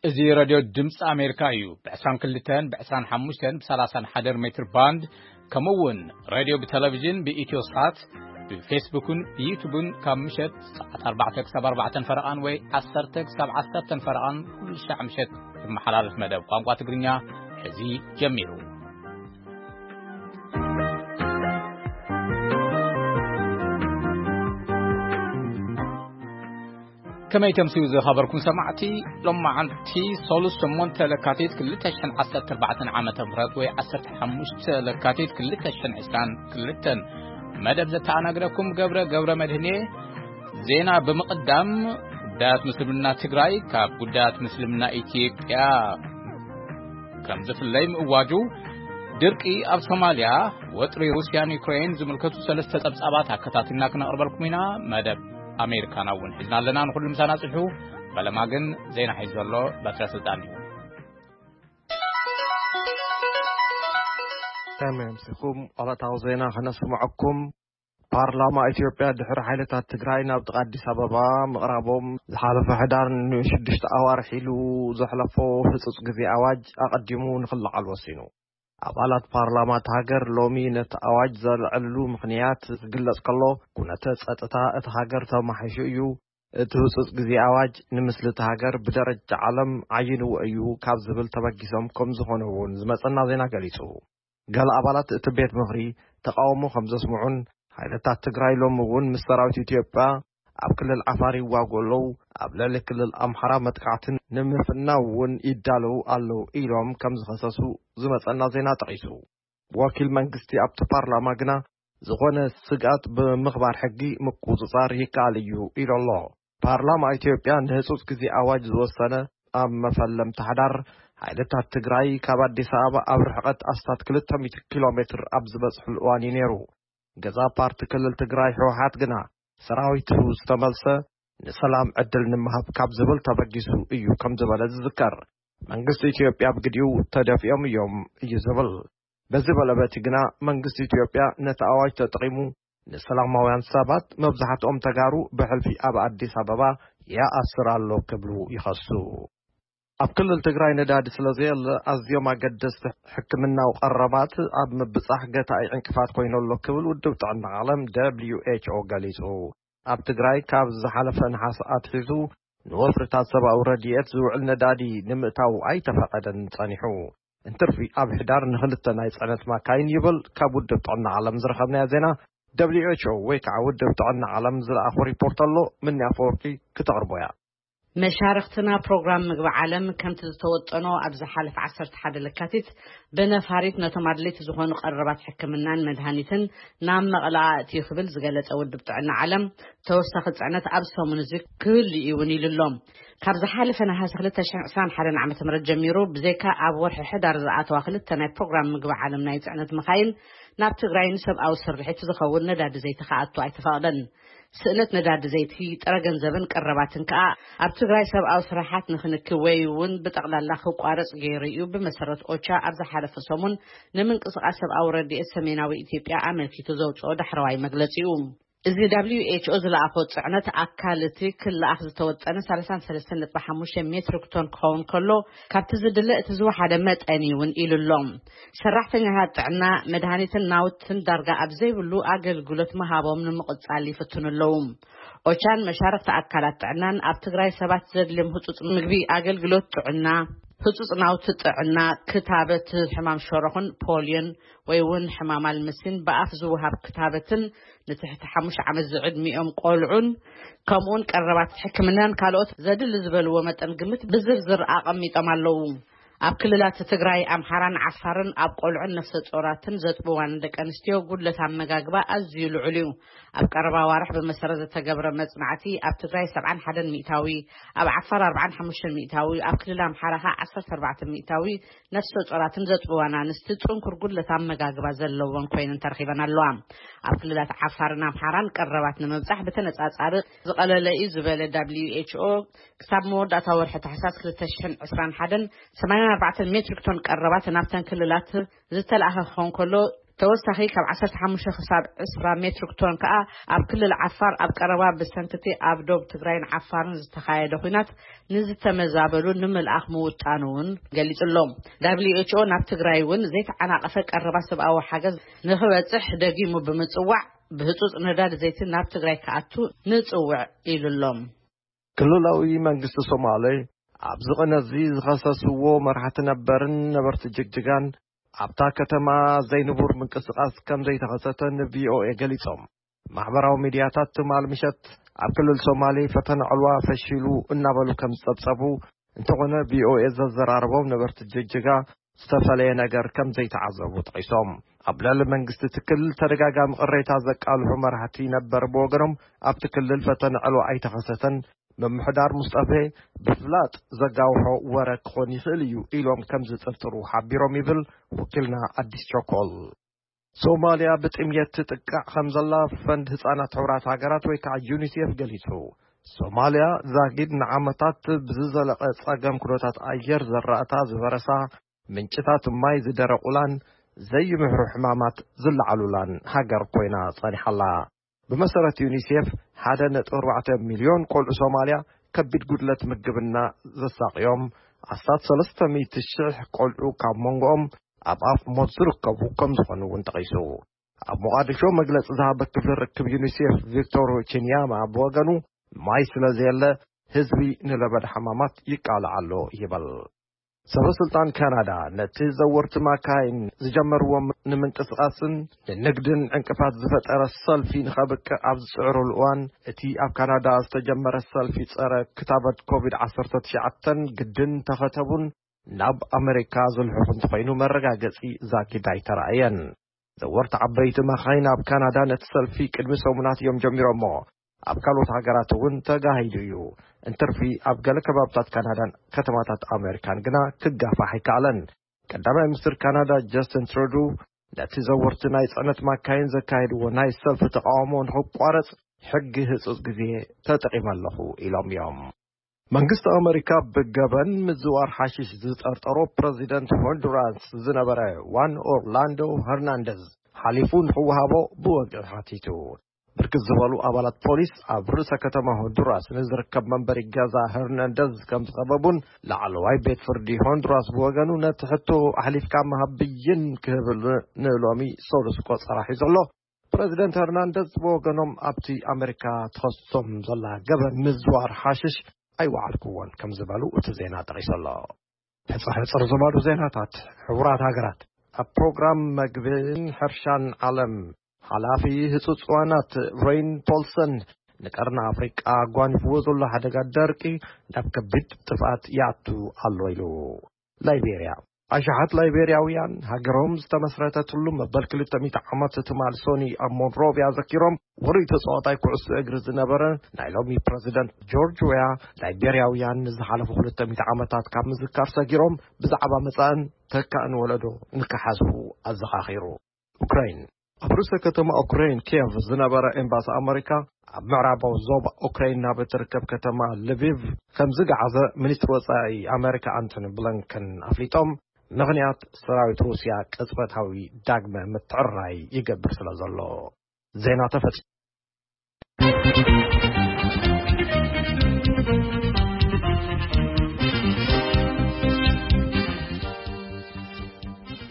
እዚ ሬድዮ ድምፂ ኣሜሪካ እዩ። ብ22፣ ብ25፣ ብ31 ሜትር ባንድ፣ ከምኡ እውን ሬድዮ ብቴሌቪዥን ብኢትዮ ሳት፣ ብፌስቡክን ብዩቱብን ካብ ምሸት ሰዓት ኣርባዕተ ክሳብ ኣርባዕተን ፈረቓን ወይ ዓሰርተ ክሳብ ዓሰርተን ፈረቓን ኩሉ ሻዕ ምሸት ዝመሓላለፍ መደብ ቋንቋ ትግርኛ ሕዚ ጀሚሩ። ከመይ ተምስዩ ዝኸበርኩም ሰማዕቲ፣ ሎማዓንቲ ሶሉስ ሸሞንተ ለካቲት ክልተ ሽሕን ዓሰርተ ኣርባዕተን ዓመተ ምህረት ወይ ዓሰርተ ሓሙሽተ ለካቲት ክልተ ሽሕን ዕስራን ክልተን መደብ ዘተኣናግደኩም ገብረ ገብረ መድህኔ። ዜና ብምቕዳም፣ ጉዳያት ምስልምና ትግራይ ካብ ጉዳያት ምስልምና ኢትዮጵያ ከም ዝፍለይ ምእዋጁ፣ ድርቂ ኣብ ሶማልያ፣ ወጥሪ ሩስያን ዩክሬን ዝምልከቱ ሰለስተ ጸብጻባት ኣከታቲልና ክነቕርበልኩም ኢና። መደብ ኣሜሪካና እውን ሒዝና ኣለና። ንኹሉ ምሳና ጽንሑ። ፈለማ ግን ዜና ሒዙ ዘሎ በትረ ስልጣን እዩ። ከመይ ኣምሲኹም? ዕለታዊ ዜና ከነስምዐኩም። ፓርላማ ኢትዮጵያ ድሕሪ ሓይልታት ትግራይ ናብ ጥቓ ኣዲስ ኣበባ ምቕራቦም፣ ዝሓለፈ ሕዳር ንሽዱሽተ ኣዋርሕ ኢሉ ዘሕለፎ ህጹጽ ግዜ ኣዋጅ ኣቐዲሙ ንኽለዓል ወሲኑ። ኣባላት ፓርላማ እታ ሃገር ሎሚ ነቲ ኣዋጅ ዘልዐልሉ ምኽንያት ዝግለጽ ከሎ፣ ኩነተ ጸጥታ እታ ሃገር ተማሒሹ እዩ፣ እቲ ህጹጽ ግዜ ኣዋጅ ንምስሊ እታ ሃገር ብደረጃ ዓለም ዓይንዎ እዩ ካብ ዝብል ተበጊሶም ከም ዝኾኑ እውን ዝመጸና ዜና ገሊጹ። ገለ ኣባላት እቲ ቤት ምኽሪ ተቃውሞ ከም ዘስምዑን፣ ሓይልታት ትግራይ ሎሚ እውን ምስ ሰራዊት ኢትዮጵያ ኣብ ክልል ዓፋር ይዋግኡ ኣለዉ፣ ኣብ ልዕሊ ክልል ኣምሓራ መጥቃዕትን ንምፍናው እውን ይዳለዉ ኣለዉ ኢሎም ከም ዝኸሰሱ ዝመጸና ዜና ጠቒሱ። ወኪል መንግስቲ ኣብቲ ፓርላማ ግና፣ ዝኾነ ስግኣት ብምኽባር ሕጊ ምቁጽጻር ይከኣል እዩ ኢሉ ኣሎ። ፓርላማ ኢትዮጵያ ንህጹጽ ግዜ ኣዋጅ ዝወሰነ፣ ኣብ መፈለምታ ሓዳር ሓይልታት ትግራይ ካብ ኣዲስ ኣበባ ኣብ ርሕቀት ኣስታት ክልተ ሚእቲ ኪሎ ሜትር ኣብ ዝበጽሕሉ እዋን እዩ ነይሩ። ገዛ ፓርቲ ክልል ትግራይ ህወሓት ግና፣ ሰራዊቱ ዝተመልሰ ንሰላም ዕድል ንምሃብ ካብ ዝብል ተበጊሱ እዩ ከም ዝበለ ዝዝከር። መንግስቲ ኢትዮጵያ ብግዲኡ ተደፊኦም እዮም እዩ ዝብል። በዚ በለበቲ ግና መንግስቲ ኢትዮጵያ ነቲ ኣዋጅ ተጠቒሙ ንሰላማውያን ሰባት፣ መብዛሕትኦም ተጋሩ፣ ብሕልፊ ኣብ ኣዲስ ኣበባ ይኣስር ኣሎ ክብሉ ይኸሱ። ኣብ ክልል ትግራይ ነዳዲ ስለ ዘየለ፣ ኣዝዮም ኣገደስቲ ሕክምናዊ ቀረባት ኣብ ምብጻሕ ገታኢ ዕንቅፋት ኮይኑ ኣሎ ክብል ውድብ ጥዕና ዓለም ደብሊዩ ኤች ኦ ገሊጹ። ኣብ ትግራይ ካብ ዝሓለፈ ነሓሰ ኣትሒዙ ንወፍርታት ሰብኣዊ ረድኤት ዝውዕል ነዳዲ ንምእታው ኣይተፈቐደን ጸኒሑ። እንትርፊ ኣብ ሕዳር ንኽልተ ናይ ጽዕነት ማካይን ይብል ካብ ውድብ ጥዕና ዓለም ዝረኸብናዮ ዜና። ደብሊዩ ኤች ኦ ወይ ከዓ ውድብ ጥዕና ዓለም ዝለኣኾ ሪፖርት ኣሎ። ምኒ ኣፈወርቂ ክተቕርቦ እያ። መሻርኽትና ፕሮግራም ምግቢ ዓለም ከምቲ ዝተወጠኖ ኣብ ዝሓለፈ ዓሰርተ ሓደ ለካቲት ብነፋሪት ነቶም ኣድለይቲ ዝኾኑ ቀረባት ሕክምናን መድሃኒትን ናብ መቐለ ኣእትዩ ክብል ዝገለጸ ውድብ ጥዕና ዓለም፣ ተወሳኺ ጽዕነት ኣብ ሰሙን እዚ ክህሉ እዩ እውን ኢሉ ኣሎ። ካብ ዝሓለፈ ነሓሰ ክልተ ሽሕን ዕስራን ሓደን ዓመተ ምህረት ጀሚሩ፣ ብዘይካ ኣብ ወርሒ ሕዳር ዝኣተዋ ክልተ ናይ ፕሮግራም ምግቢ ዓለም ናይ ጽዕነት መኻይን ናብ ትግራይ ንሰብኣዊ ስርሒት ዝኸውን ነዳዲ ዘይቲ ክኣቱ ኣይተፈቕደን። ስእነት ነዳዲ ዘይቲ፣ ጥረ ገንዘብን ቀረባትን ከኣ ኣብ ትግራይ ሰብኣዊ ስራሓት ንክንኪ ወይ እውን ብጠቕላላ ክቋረጽ ገይሩ እዩ፣ ብመሰረት ኦቻ ኣብ ዝሓለፈ ሰሙን ንምንቅስቓስ ሰብኣዊ ረድኤት ሰሜናዊ ኢትዮጵያ ኣመልኪቱ ዘውፅኦ ዳሕረዋይ መግለጺኡ። እዚ ደብሊዩ ኤች ኦ ዝለኣኾ ጽዕነት ኣካል እቲ ክለኣኽ ዝተወጠነ ሰላሳን ሰለስተን ነጥቢ ሓሙሽተ ሜትሪክ ቶን ክኸውን ከሎ፣ ካብቲ ዝድለ እቲ ዝወሓደ መጠን እዩ እውን ኢሉ ኣሎ። ሰራሕተኛታት ጥዕና፣ መድሃኒትን ናውትን ዳርጋ ኣብ ዘይብሉ ኣገልግሎት ምሃቦም ንምቕጻል ይፍትኑ ኣለዉ። ኦቻን መሻርኽቲ ኣካላት ጥዕናን ኣብ ትግራይ ሰባት ዘድልዮም ህጹጽ ምግቢ፣ ኣገልግሎት ጥዕና፣ ህጹጽ ናውቲ ጥዕና፣ ክታበት ሕማም ሸሮኽን ፖልዮን ወይ እውን ሕማም ኣልምሲን ብኣፍ ዝወሃብ ክታበትን ንትሕቲ ሓሙሽተ ዓመት ዝዕድሚኦም ቆልዑን ከምኡውን ቀረባት ሕክምናን ካልኦት ዘድሊ ዝበልዎ መጠን ግምት ብዝርዝር ኣቐሚጦም ኣለዉ። ኣብ ክልላት ትግራይ፣ ኣምሓራን ዓፋርን ኣብ ቆልዑን ነፍሰ ጾራትን ዘጥብዋን ደቂ ኣንስትዮ ጉድለት ኣመጋግባ ኣዝዩ ልዑል እዩ። ኣብ ቀረባ ኣዋርሕ ብመሰረት ዝተገብረ መጽናዕቲ፣ ኣብ ትግራይ ሰብዓን ሓደን ሚእታዊ፣ ኣብ ዓፋር ኣርባዓን ሓሙሽተን ሚእታዊ፣ ኣብ ክልል ኣምሓራ ኸኣ ዓሰርተ ኣርባዕተ ሚእታዊ ነፍሰ ጾራትን ዘጥብዋን ኣንስቲ ጽንኩር ጉድለት ኣመጋግባ ዘለወን ኮይነን ተረኺበን ኣለዋ። ኣብ ክልላት ዓፋርን ኣምሓራን ቀረባት ንምብጻሕ ብተነጻጻሪ ዝቐለለ እዩ ዝበለ ደብሊዩ ኤች ኦ፣ ክሳብ መወዳእታ ወርሒ ታሕሳስ ክልተ ሽሕን ዕስራን ሓደን ሰማንያን ኣርባዕተን ሜትሪክ ቶን ቀረባት ናብተን ክልላት ዝተለኣኸ ክኸውን ከሎ፣ ተወሳኺ ካብ ዓሰርተ ሓሙሽተ ክሳብ ዕስራ ሜትሪክ ቶን ከኣ ኣብ ክልል ዓፋር ኣብ ቀረባ ብሰንክቲ ኣብ ዶብ ትግራይን ዓፋርን ዝተኻየደ ኲናት ንዝተመዛበሉ ንምልኣኽ ምውጣኑ እውን ገሊጹ ኣሎ። ደብሊው ኤች ኦ ናብ ትግራይ እውን ዘይተዓናቐፈ ቀረባ ሰብኣዊ ሓገዝ ንኽበጽሕ ደጊሙ ብምጽዋዕ፣ ብህጹጽ ነዳዲ ዘይቲ ናብ ትግራይ ክኣቱ ንጽውዕ ኢሉ ኣሎ። ክልላዊ መንግስቲ ሶማሌ ኣብዚ ቅነዚ ዝኸሰስዎ መራሕቲ ነበርን ነበርቲ ጅግጅጋን ኣብታ ከተማ ዘይንቡር ምንቅስቓስ ከም ዘይተኸሰተ ንቪኦኤ ገሊጾም። ማሕበራዊ ሚድያታት ትማል ምሸት ኣብ ክልል ሶማሌ ፈተነ ዕልዋ ፈሺሉ እናበሉ ከም ዝጸብጸቡ፣ እንተኾነ ቪኦኤ ዘዘራረቦም ነበርቲ ጅግጅጋ ዝተፈለየ ነገር ከም ዘይተዓዘቡ ጠቒሶም። ኣብ ልዕሊ መንግስቲ ትክል ተደጋጋሚ ቅሬታ ዘቃልሑ መራሕቲ ነበር ብወገኖም፣ ኣብቲ ክልል ፈተነ ዕልዋ ኣይተኸሰተን፣ ምምሕዳር ሙስጠፌ ብፍላጥ ዘጋውሖ ወረ ክኾን ይኽእል እዩ ኢሎም ከም ዝጥርጥሩ ሓቢሮም ይብል ወኪልና ኣዲስ ቸኮል። ሶማልያ ብጥምየት ትጥቃዕ ከም ዘላ ፈንድ ህጻናት ሕቡራት ሃገራት ወይ ከዓ ዩኒሴፍ ገሊጹ። ሶማልያ ዛጊድ ንዓመታት ብዝዘለቐ ጸገም ኩነታት ኣየር ዘራእታ ዝበረሳ፣ ምንጭታት ማይ ዝደረቑላን ዘይምሕሩ ሕማማት ዝለዓሉላን ሃገር ኮይና ጸኒሓላ። ብመሰረት ዩኒሴፍ፣ ሓደ ነጥቢ ኣርባዕተ ሚልዮን ቆልዑ ሶማልያ ከቢድ ጉድለት ምግብና ዘሳቕዮም፣ ኣስታት ሰለስተ ሚእቲ ሽሕ ቆልዑ ካብ መንጎኦም ኣብ ኣፍ ሞት ዝርከቡ ከም ዝኾኑ እውን ጠቒሱ። ኣብ ሞቓዲሾ መግለጺ ዝሃበ ክፍሊ ርክብ ዩኒሴፍ ቪክቶር ቺንያማ ብወገኑ፣ ማይ ስለ ዘየለ ህዝቢ ንለበዳ ሕማማት ይቃላዕ ኣሎ ይበል። ሰበ ስልጣን ካናዳ ነቲ ዘወርቲ ማካይን ዝጀመርዎም ንምንቅስቓስን ንንግድን ዕንቅፋት ዝፈጠረ ሰልፊ ንኸብቅዕ ኣብ ዝጽዕሩሉ እዋን፣ እቲ ኣብ ካናዳ ዝተጀመረ ሰልፊ ጸረ ክታበት ኮቪድ ዓሰርተ ትሽዓተ ግድን ተኸተቡን ናብ ኣመሪካ ዝልሕኹ እንተኾይኑ መረጋገጺ ዛጊድ ኣይተራእየን። ዘወርቲ ዓበይቲ ማኻይን ኣብ ካናዳ ነቲ ሰልፊ ቅድሚ ሰሙናት እዮም ጀሚሮሞ። ኣብ ካልኦት ሃገራት እውን ተጋሂዱ እዩ። እንትርፊ ኣብ ገለ ከባብታት ካናዳን ከተማታት ኣሜሪካን ግና ክጋፋሕ ኣይከኣለን። ቀዳማይ ሚኒስትር ካናዳ ጀስትን ትሩዱ ነቲ ዘወርቲ ናይ ጽዕነት ማካይን ዘካየድዎ ናይ ሰልፊ ተቃውሞ ንክቋረጽ ሕጊ ህጹጽ ግዜ ተጠቂመ ኣለኹ ኢሎም እዮም። መንግስቲ ኣመሪካ ብገበን ምዝዋር ሓሽሽ ዝጠርጠሮ ፕረዚደንት ሆንዱራስ ዝነበረ ዋን ኦርላንዶ ሄርናንደዝ ሓሊፉ ንክወሃቦ ብወግዒ ሓቲቱ። ብርክት ዝበሉ ኣባላት ፖሊስ ኣብ ርእሰ ከተማ ሆንዱራስ ንዝርከብ መንበሪ ገዛ ሄርናንደዝ ከም ዝኸበቡን ላዕለዋይ ቤት ፍርዲ ሆንዱራስ ብወገኑ ነቲ ሕቶ ኣሕሊፍካ ምሃብ ብይን ክህብ ንሎሚ ሰሉስ ቆጸራ ሒዙ ኣሎ። ፕረዚደንት ሄርናንደዝ ብወገኖም ኣብቲ ኣመሪካ ትኸሶም ዘላ ገበን ምዝዋር ሓሽሽ ኣይወዓልክዎን ከም ዝበሉ እቲ ዜና ጠቒሱ ኣሎ። ሕጽር ሕጽር ዝበሉ ዜናታት። ሕቡራት ሃገራት ኣብ ፕሮግራም መግብን ሕርሻን ዓለም ሓላፊ ህጹጽ ዋናት ሬን ፖልሰን ንቀርኒ ኣፍሪቃ ኣጓኒፍዎ ዘሎ ሓደጋ ደርቂ ናብ ከቢድ ጥፍኣት ይኣቱ ኣሎ ኢሉ። ላይቤርያ። ኣሽሓት ላይቤርያውያን ሃገሮም ዝተመስረተትሉ መበል ክልተ ሚእቲ ዓመት ትማል ሶኒ ኣብ ሞንሮቪያ ዘኪሮም፣ ውሩይ ተጻዋታይ ኩዕሶ እግሪ ዝነበረ ናይ ሎሚ ፕረዚደንት ጆርጅ ዌያ፣ ላይቤርያውያን ንዝሓለፉ ክልተ ሚእቲ ዓመታት ካብ ምዝካር ሰጊሮም ብዛዕባ መጻእን ተካእን ወለዶ ንክሓስቡ ኣዘኻኺሩ። ኡክራይን። ኣብ ርእሰ ከተማ ኡክራይን ኪየቭ ዝነበረ ኤምባሲ ኣመሪካ ኣብ ምዕራባዊ ዞባ ኡክራይን ናብ እትርከብ ከተማ ልቪቭ ከም ዝገዓዘ ሚኒስትሪ ወጻኢ ኣመሪካ ኣንቶኒ ብሊንከን ኣፍሊጦም። ምኽንያት ሰራዊት ሩስያ ቅጽበታዊ ዳግመ ምትዕርራይ ይገብር ስለ ዘሎ። ዜና ተፈጺሙ።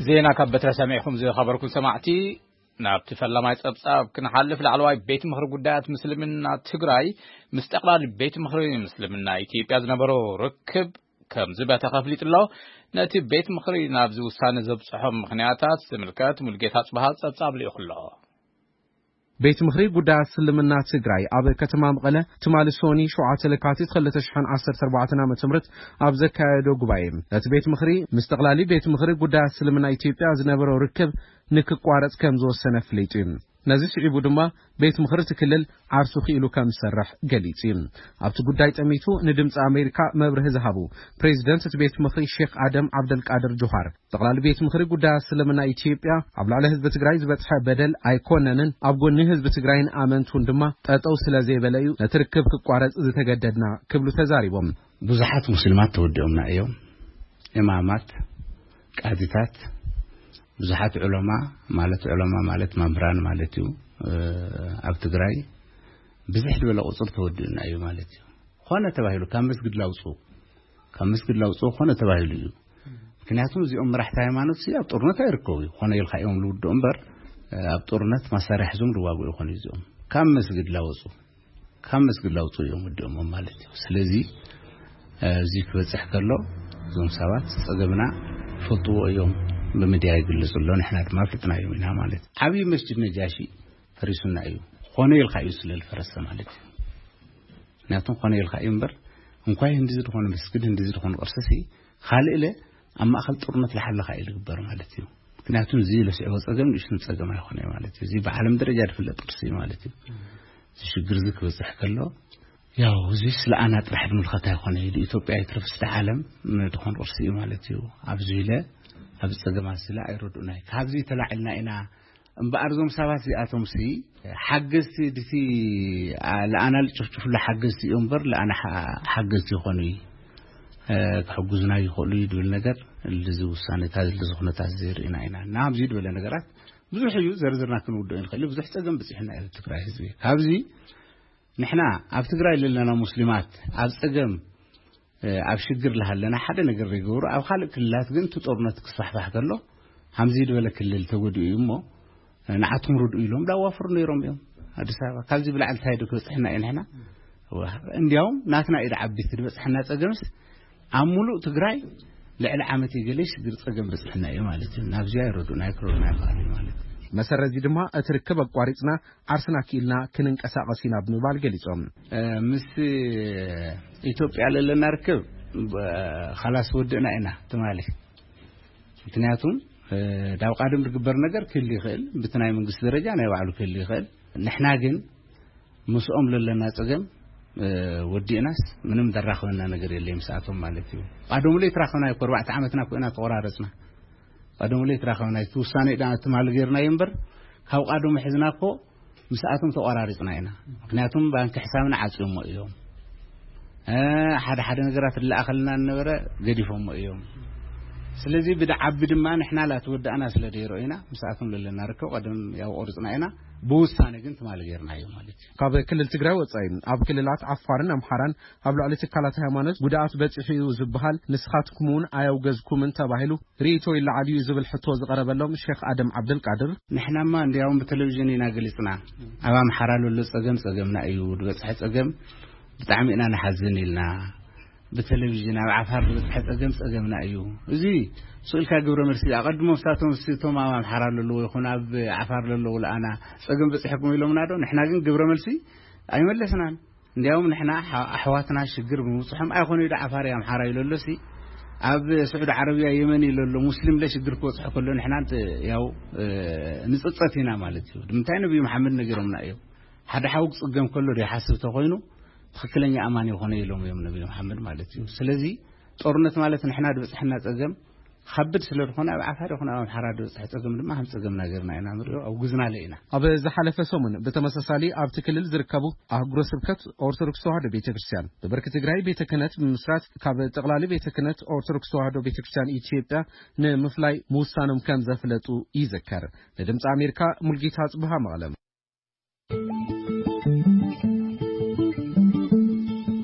ዜና ካብ በትረ ሰሚዕኩም ዝኸበርኩም ሰማዕቲ፣ ናብቲ ፈላማይ ጸብጻብ ክንሓልፍ፣ ላዕለዋይ ቤት ምኽሪ ጉዳያት ምስልምና ትግራይ ምስ ጠቕላሊ ቤት ምኽሪ ምስልምና ኢትዮጵያ ዝነበሮ ርክብ ከም ዝበተኸ ኣፍሊጡ ኣሎ። ነቲ ቤት ምኽሪ ናብዚ ውሳነ ዘብጽሖም ምኽንያታት ዝምልከት ሙልጌታ ጽብሃ ጸብጻብ ልኢኹ ኣሎ። ቤት ምኽሪ ጉዳያት እስልምና ትግራይ ኣብ ከተማ መቐለ ትማሊ ሶኒ ሸውዓተ ለካቲት ክልተ ሽሕን ዓሰርተ ኣርባዕተን ዓመተ ምህረት ኣብ ዘካየዶ ጉባኤ፣ ነቲ ቤት ምኽሪ ምስ ጠቕላሊ ቤት ምኽሪ ጉዳያት እስልምና ኢትዮጵያ ዝነበሮ ርክብ ንክቋረጽ ከም ዝወሰነ ኣፍሊጡ እዩ። ነዚ ስዒቡ ድማ ቤት ምኽሪ እቲ ክልል ዓርሱ ክኢሉ ከም ዝሰርሕ ገሊጹ እዩ። ኣብቲ ጉዳይ ጠሚቱ ንድምፂ ኣሜሪካ መብርሂ ዝሃቡ ፕሬዚደንት እቲ ቤት ምኽሪ ሼክ ኣደም ዓብደልቃድር ጁሃር፣ ጠቕላሊ ቤት ምኽሪ ጉዳያት እስልምና ኢትዮጵያ ኣብ ልዕሊ ህዝቢ ትግራይ ዝበፅሐ በደል ኣይኮነንን፣ ኣብ ጎኒ ህዝቢ ትግራይን ኣመንቱን ድማ ጠጠው ስለ ዘይበለ እዩ ነቲ ርክብ ክቋረፅ ዝተገደድና ክብሉ ተዛሪቦም። ብዙሓት ሙስሊማት ተወዲኦምና እዮም። ኢማማት፣ ቃዚታት፣ ብዙሓት ዑለማ፣ ማለት ዑለማ ማለት መምህራን ማለት እዩ፣ ኣብ ትግራይ ብዝሕ ዝበለ ቁፅር ተወዲኡና እዩ ማለት እዩ። ኾነ ተባሂሉ ካብ መስጊድ ላውፅኡ፣ ካብ መስጊድ ላውፅኡ ኾነ ተባሂሉ እዩ። ምክንያቱም እዚኦም መራሕቲ ሃይማኖት ኣብ ጦርነት ኣይርከቡ እዩ። ኾነ ኢልካ እዮም ልውድኡ እምበር ኣብ ጦርነት መሳርያ ሒዞም ዝዋግኡ ይኾኑ እዚኦም። ካብ መስጊድ ላወፁ፣ ካብ መስጊድ ላውፁ እዮም ወዲኦሞም ማለት እዩ። ስለዚ እዚ ክበፅሕ ከሎ እዞም ሰባት ፀገምና ይፈልጥዎ እዮም፣ ብምድያ ይግልፁ ኣሎ፣ ንሕና ድማ ፍልጥና እዮም ኢና ማለት እዩ። ዓብዪ መስጅድ ነጃሺ ፈሪሱና እዩ። ኾነ ኢልካ እዩ ስለ ዝፈረሰ ማለት እዩ። ምክንያቱም ኾነ ኢልካ እዩ እምበር እንኳይ እንዲዚ ዝኾነ መስጊድ እንዲዚ ዝኾነ ቅርሲ ሲ ካልእ ኢለ ኣብ ማእኸል ጦርነት ለሓለኻ እዩ ዝግበር ማለት እዩ። ምክንያቱም እዚ ለስዕቦ ፀገም ንእሽቱን ፀገም ኣይኮነ ማለት እዩ። እዚ ብዓለም ደረጃ ዝፍለጥ ቅርሲ እዩ ማለት እዩ። እዚ ሽግር እዚ ክበፅሕ ከሎ ያው እዚ ስለ ኣና ጥራሕ ዝምልከት ኣይኮነ፣ ኢትዮጵያ ይትረፍስ ዓለም ዝኾን ቅርሲ እዩ ማለት እዩ። ኣብዚ ኢለ ኣብ ፀገማት ስለ ኣይረዱእናይ ካብዚ ተላዒልና ኢና እምበኣር እዞም ሰባት እዚኣቶም ሲ ሓገዝቲ ድቲ ለኣና ልጭፍጭፍሉ ሓገዝቲ እዮም እምበር ለኣና ሓ- ሓገዝቲ ይኾኑ እዩ ክሕጉዝና ይኽእሉ እዩ ድብል ነገር እዚ ውሳኔታት እዚ ኩነታት እዚ ርኢና ኢና እና ኣብዚ ዝበለ ነገራት ብዙሕ እዩ ዘርዝርና ክንውድኦ ንኽእል ብዙሕ ፀገም ብፅሕና እዩ ትግራይ ህዝቢ ካብዚ ንሕና ኣብ ትግራይ ዘለና ሙስሊማት ኣብ ፀገም ኣብ ሽግር ለሃለና ሓደ ነገር ዘይገብሩ ኣብ ካልእ ክልላት ግን እቲ ጦርነት ክስፋሕፋሕ ከሎ ሃምዚ ዝበለ ክልል ተጎዲኡ እዩ እሞ ንዓቶም ርድኡ ኢሎም ዳዋፍሩ ነይሮም እዮም። ኣዲስ ኣበባ ካብዚ ብላዕሊ እንታይ ዶ ክበፅሕና እዩ ንሕና? እንዲያውም ናትና ኢድ ዓቢት ዝበፅሐና ፀገምስ ኣብ ሙሉእ ትግራይ ልዕሊ ዓመት የገለ ሽግር ፀገም በፅሕና እዩ ማለት እዩ። ናብዚያ ይረዱና ይክረዱና ይኽእል እዩ ማለት እዩ። መሰረት እዚ ድማ እቲ ርክብ ኣቋሪፅና ዓርስና ክኢልና ክንንቀሳቐስ ኢና ብምባል ገሊፆም። ምስ ኢትዮጵያ ለለና ርክብ ካላስ ወድእና ኢና ትማሊ። ምክንያቱም ዳብ ቃድም ዝግበር ነገር ክህል ይኽእል ብቲ ናይ መንግስቲ ደረጃ ናይ ባዕሉ ክህል ይኽእል። ንሕና ግን ምስኦም ለለና ፀገም ወዲእናስ ምንም ደራኽበና ነገር የለ ምስኣቶም ማለት እዩ። ቃደሙ ለይ ትራኸብና እኮ ኣርባዕተ ዓመትና ኮይና ተቆራረፅና። ቃደሙ ለይ ትራኸብና እቲ ውሳኔ ዳ ትማል ገይርና እምበር ካብ ቃደሙ ሕዝና እኮ ምስኣቶም ተቆራሪፅና ኢና። ምክንያቱም ባንክ ሕሳብና ዓፅዮሞ እዮም። ሓደ ሓደ ነገራት ዝለኣኸልና ነበረ ገዲፎሞ እዮም። ስለዚ ብድዓቢ ድማ ንሕና ላትወዳእና ስለ ደይሮ ኢና ምስኣቶም ለለና ርከብ ቀደም ያው ቆርፅና ኢና። ብውሳነ ግን ትማል ገይርና እዩ ማለት እዩ። ካብ ክልል ትግራይ ወፃኢ ኣብ ክልላት ዓፋርን ኣምሓራን ኣብ ልዕሊ ትካላት ሃይማኖት ጉድኣት በፂሑ እዩ ዝበሃል ንስኻትኩም እውን ኣያውገዝኩምን ተባሂሉ ርእይቶ ይለዓል እዩ ዝብል ሕቶ ዝቐረበሎም ሼክ ኣደም ዓብደልቃድር ንሕናማ እንዲያውም ብቴሌቪዥን ኢና ገሊፅና። ኣብ ኣምሓራ ለሎ ፀገም ፀገምና እዩ ዝበፅሐ ፀገም ብጣዕሚ ኢና ንሓዝን ኢልና ብቴሌቪዥን ኣብ ዓፋር ዝበፅሐ ፀገም ፀገምና እዩ። እዚ ስእልካ ግብረ መልሲ ኣቐድሞ ስታቶም ስቶም ኣብ ኣምሓራ ለለዎ ይኹን ኣብ ዓፋር ለለዎ ለኣና ፀገም በፂሐኩም ኢሎምና ዶ ንሕና ግን ግብረ መልሲ ኣይመለስናን። እንዲያውም ንሕና ኣሕዋትና ሽግር ብምብፅሖም ኣይኾነ ዶ ዓፋር ኣምሓራ ኢለሎሲ ኣብ ስዑድ ዓረብያ የመን ኢለሎ ሙስሊም ለሽግር ክበፅሖ ከሎ ንሕና ያው ንፅፀት ኢና ማለት እዩ። ንምንታይ ነብዩ መሓመድ ነጊሮምና እዮም። ሓደ ሓው ክፅገም ከሎ ዘይሓስብ ተኮይኑ ትኽክለኛ ኣማኒ ይኾነ ኢሎም እዮም ነብዩ መሓመድ ማለት እዩ። ስለዚ ጦርነት ማለት ንሕና ዝበፅሐና ፀገም ከብድ ስለ ዝኾነ ኣብ ዓፋር ይኹን ኣብ ኣምሓራ ዝበፅሐ ፀገም ድማ ከም ፀገምና ገርና ኢና ንሪኦ ኣውግዝናለ ኢና። ኣብ ዝሓለፈ ሰሙን ብተመሳሳሊ ኣብቲ ክልል ዝርከቡ ኣህጉረ ስብከት ኦርቶዶክስ ተዋህዶ ቤተ ክርስቲያን ብብርኪ ትግራይ ቤተ ክህነት ብምስራት ካብ ጠቕላሊ ቤተ ክህነት ኦርቶዶክስ ተዋህዶ ቤተ ክርስቲያን ኢትዮጵያ ንምፍላይ ምውሳኖም ከም ዘፍለጡ ይዝከር። ንድምፂ ኣሜሪካ ሙልጌታ ጽብሃ መቐለም።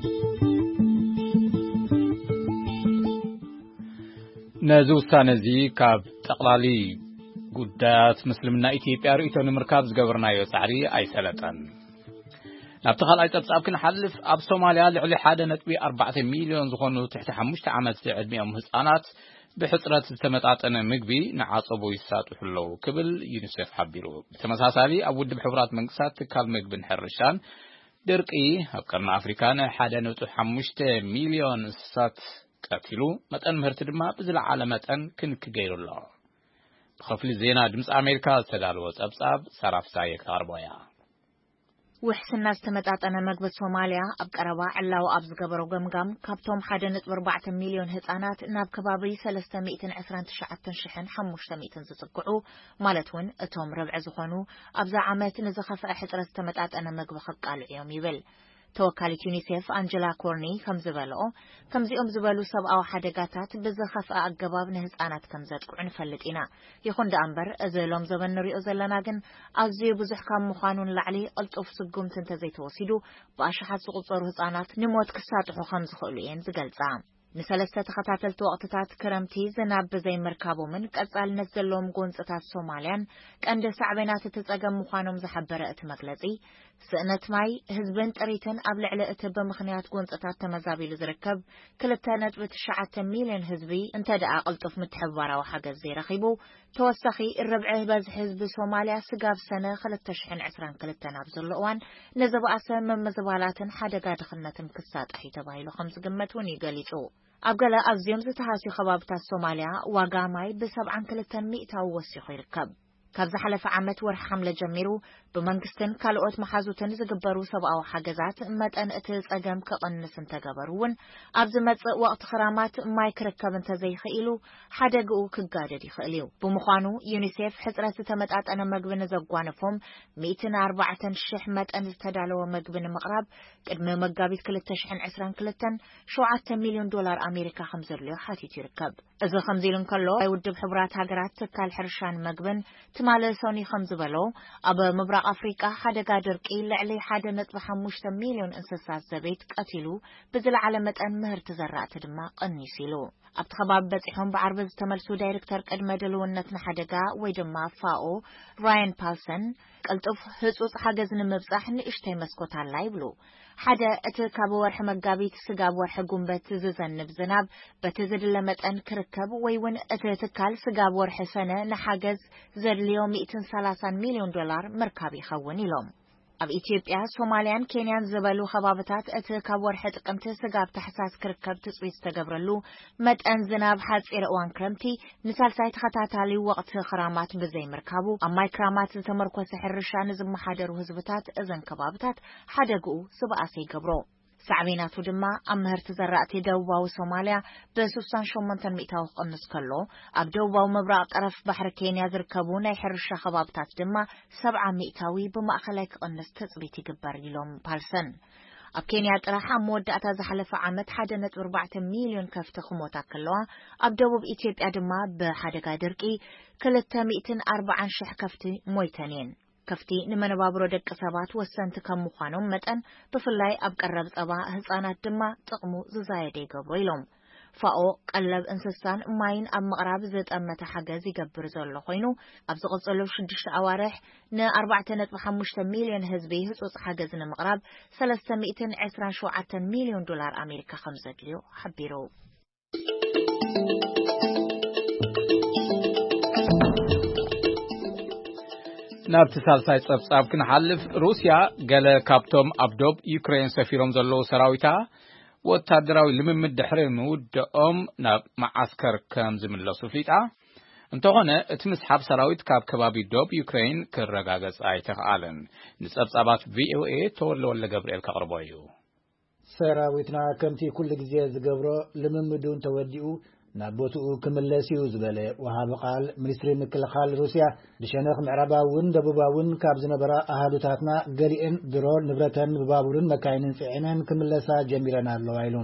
ነዚ ውሳነ እዚ ካብ ጠቕላሊ ጉዳያት ምስልምና ኢትዮጵያ ርእይቶ ንምርካብ ዝገበርናዮ ጻዕሪ ኣይሰለጠን። ናብቲ ካልኣይ ጸብጻብ ክንሓልፍ ኣብ ሶማልያ ልዕሊ ሓደ ነጥቢ ኣርባዕተ ሚልዮን ዝኾኑ ትሕቲ ሓሙሽተ ዓመት ዕድሚኦም ህጻናት ብሕጽረት ዝተመጣጠነ ምግቢ ንዓጸቦ ይሳጥሑ ኣለዉ ክብል ዩኒሴፍ ሓቢሩ። ብተመሳሳሊ ኣብ ውድብ ሕቡራት መንግስታት ትካል ምግብን ሕርሻን ድርቂ ኣብ ቀርኒ ኣፍሪካ ንሓደ ነጥቢ ሓሙሽተ ሚልዮን እንስሳት ቀቲሉ መጠን ምህርቲ ድማ ብዝለዓለ መጠን ክንክ ገይሩ ኣሎ። ብኸፍሊ ዜና ድምፂ ኣሜሪካ ዝተዳለወ ፀብፃብ ሰራፍሳየ ክተቕርቦ እያ። ውሕስና ዝተመጣጠነ መግቢ ሶማልያ ኣብ ቀረባ ዕላዊ ኣብ ዝገበሮ ገምጋም ካብቶም ሓደ ነጥቢ ኣርባዕተ ሚልዮን ህጻናት ናብ ከባቢ ሰለስተ ሚእትን ዕስራን ትሽዓተን ሽሕን ሓሙሽተ ሚእትን ዝጽግዑ ማለት እውን እቶም ርብዒ ዝኾኑ ኣብዛ ዓመት ንዝኸፍአ ሕጽረት ዝተመጣጠነ መግቢ ከቃልዑ እዮም ይብል። ተወካሊት ዩኒሴፍ ኣንጀላ ኮርኒ ከም ዝበልኦ፣ ከምዚኦም ዝበሉ ሰብኣዊ ሓደጋታት ብዝኸፍአ ኣገባብ ንህጻናት ከም ዘጥቅዑ ንፈልጥ ኢና። ይኹን ደኣ እምበር፣ እዚ ሎም ዘበን ንሪኦ ዘለና ግን ኣዝዩ ብዙሕ ካብ ምዃኑ ንላዕሊ፣ ቅልጡፍ ስጉምቲ እንተዘይተወሲዱ፣ ብኣሽሓት ዝቑጸሩ ህጻናት ንሞት ክሳጥሑ ከም ዝኽእሉ እየን ዝገልጻ። ንሰለስተ ተኸታተልቲ ወቕትታት ክረምቲ ዝናብ ብዘይምርካቦምን ቀጻልነት ዘለዎም ጎንጽታት ሶማልያን ቀንዲ ሳዕቤናት እቲ ጸገም ምዃኖም ዝሓበረ እቲ መግለጺ፣ ስእነት ማይ፣ ህዝብን ጥሪትን ኣብ ልዕሊ እቲ ብምኽንያት ጎንጽታት ተመዛቢሉ ዝርከብ ክልተ ነጥቢ ትሽዓተ ሚልዮን ህዝቢ እንተ ደኣ ቅልጡፍ ምትሕብባራዊ ሓገዝ ዘይረኺቡ፣ ተወሳኺ ርብዒ በዝሒ ህዝቢ ሶማልያ ስጋብ ሰነ ክልተ ሽሕን ዕስራን ክልተን ኣብ ዘሎ እዋን ንዝበኣሰ ምምዝባላትን ሓደጋ ድኽነትን ክሳጣሕ እዩ ተባሂሉ ከም ዝግመት እውን እዩ ገሊጹ። ኣብ ገለ ኣዝዮም ዝተሃስዩ ከባብታት ሶማልያ ዋጋ ማይ ብሰብዓን ክልተን ሚእታዊ ወሲኹ ይርከብ። ካብ ዝሓለፈ ዓመት ወርሒ ሓምለ ጀሚሩ ብመንግስትን ካልኦት መሓዙትን ዝግበሩ ሰብኣዊ ሓገዛት መጠን እቲ ጸገም ክቕንስ እንተገበሩ እውን፣ ኣብ ዝመጽእ ወቕቲ ክራማት ማይ ክርከብ እንተዘይኽኢሉ ሓደግኡ ክጋደድ ይኽእል እዩ። ብምዃኑ ዩኒሴፍ ሕጽረት ዝተመጣጠነ መግቢ ንዘጓነፎም ሚእትን ኣርባዕተን ሽሕ መጠን ዝተዳለወ መግቢ ንምቕራብ ቅድሚ መጋቢት ክልተ ሽሕን ዕስራን ክልተን ሸውዓተ ሚልዮን ዶላር ኣሜሪካ ከም ዘድልዮ ሓቲቱ ይርከብ። እዚ ከምዚ ኢሉ እንከሎ፣ ናይ ውድብ ሕቡራት ሃገራት ትካል ሕርሻን መግብን ትማሊ ሰኑይ ከም ዝበሎ፣ ኣብ ምብራቕ ኣፍሪቃ ሓደጋ ድርቂ ልዕሊ ሓደ ነጥቢ ሓሙሽተ ሚልዮን እንስሳት ዘቤት ቀቲሉ፣ ብዝለዓለ መጠን ምህርቲ ዘራእቲ ድማ ቀኒሱ ኢሉ። ኣብቲ ከባቢ በጺሖም ብዓርቢ ዝተመልሱ ዳይሬክተር ቅድመ ድልውነት ንሓደጋ ወይ ድማ ፋኦ ራያን ፓልሰን፣ ቅልጡፍ ህጹጽ ሓገዝ ንምብጻሕ ንእሽተይ መስኮት ኣላ ይብሉ። ሓደ፣ እቲ ካብ ወርሒ መጋቢት ስጋብ ወርሒ ጉንበት ዝዘንብ ዝናብ በቲ ዝድለ መጠን ክርከብ ወይ እውን እቲ ትካል ስጋብ ወርሒ ሰነ ንሓገዝ ዘድልዮ ሚእትን ሰላሳን ሚልዮን ዶላር ምርካብ ይኸውን ኢሎም። ኣብ ኢትዮጵያ፣ ሶማልያን ኬንያን ዝበሉ ከባብታት እቲ ካብ ወርሒ ጥቅምቲ ስጋብ ታሕሳስ ክርከብ ትጽቢት ዝተገብረሉ መጠን ዝናብ ሓጺር እዋን ክረምቲ ንሳልሳይ ተኸታታሊ ወቕቲ ክራማት ብዘይምርካቡ፣ ኣብ ማይ ክራማት ዝተመርኮሰ ሕርሻ ንዝመሓደሩ ህዝብታት እዘን ከባብታት ሓደግኡ ዝበኣሰ ይገብሮ። ሳዕቤናቱ ድማ ኣብ ምህርቲ ዘራእቲ ደቡባዊ ሶማልያ ብስሳን ሸሞንተን ሚእታዊ ክቕንስ ከሎ፣ ኣብ ደቡባዊ ምብራቕ ጠረፍ ባሕሪ ኬንያ ዝርከቡ ናይ ሕርሻ ከባብታት ድማ ሰብዓ ሚእታዊ ብማእኸላይ ክቕንስ ትጽቢት ይግበር ኢሎም ፓልሰን። ኣብ ኬንያ ጥራሕ ኣብ መወዳእታ ዝሓለፈ ዓመት ሓደ ነጥቢ ኣርባዕተ ሚልዮን ከፍቲ ክሞታ ከለዋ፣ ኣብ ደቡብ ኢትዮጵያ ድማ ብሓደጋ ድርቂ ክልተ ሚእትን ኣርባዓን ሽሕ ከፍቲ ሞይተን እየን። ከፍቲ ንመነባብሮ ደቂ ሰባት ወሰንቲ ከም ምዃኖም መጠን፣ ብፍላይ ኣብ ቀረብ ጸባ ህጻናት ድማ ጥቕሙ ዝዛየደ ይገብሮ ኢሎም። ፋኦ ቀለብ እንስሳን ማይን ኣብ ምቕራብ ዝጠመተ ሓገዝ ይገብር ዘሎ ኮይኑ፣ ኣብ ዝቕጽሉ ሽዱሽተ ኣዋርሕ ን ኣርባዕተ ነጥቢ ሓሙሽተ ሚልዮን ህዝቢ ህጹጽ ሓገዝ ንምቕራብ ሰለስተ ሚእትን ዕስራን ሸውዓተን ሚልዮን ዶላር ኣሜሪካ ከም ዘድልዮ ሓቢሩ። ናብቲ ሳልሳይ ጸብጻብ ክንሓልፍ፣ ሩስያ ገለ ካብቶም ኣብ ዶብ ዩክሬን ሰፊሮም ዘለዉ ሰራዊታ ወታደራዊ ልምምድ ድሕሪ ምውድኦም ናብ መዓስከር ከም ዝምለሱ ፍሊጣ። እንተኾነ፣ እቲ ምስሓብ ሰራዊት ካብ ከባቢ ዶብ ዩክሬን ክረጋገጽ ኣይተኽኣለን። ንጸብጻባት ቪ ኦ ኤ ተወልደ ወልደ ገብርኤል ከቕርቦ እዩ። ሰራዊትና ከምቲ ኩሉ ግዜ ዝገብሮ ልምምዱ እንተወዲኡ ናብ ቦትኡ ክምለስ እዩ ዝበለ ወሃቢ ቃል ሚኒስትሪ ምክልኻል ሩስያ፣ ብሸነኽ ምዕራባውን ደቡባውን ካብ ዝነበራ ኣሃዱታትና ገሊኤን ድሮ ንብረተን ብባቡርን መካይንን ጽዒነን ክምለሳ ጀሚረን ኣለዋ ኢሉ።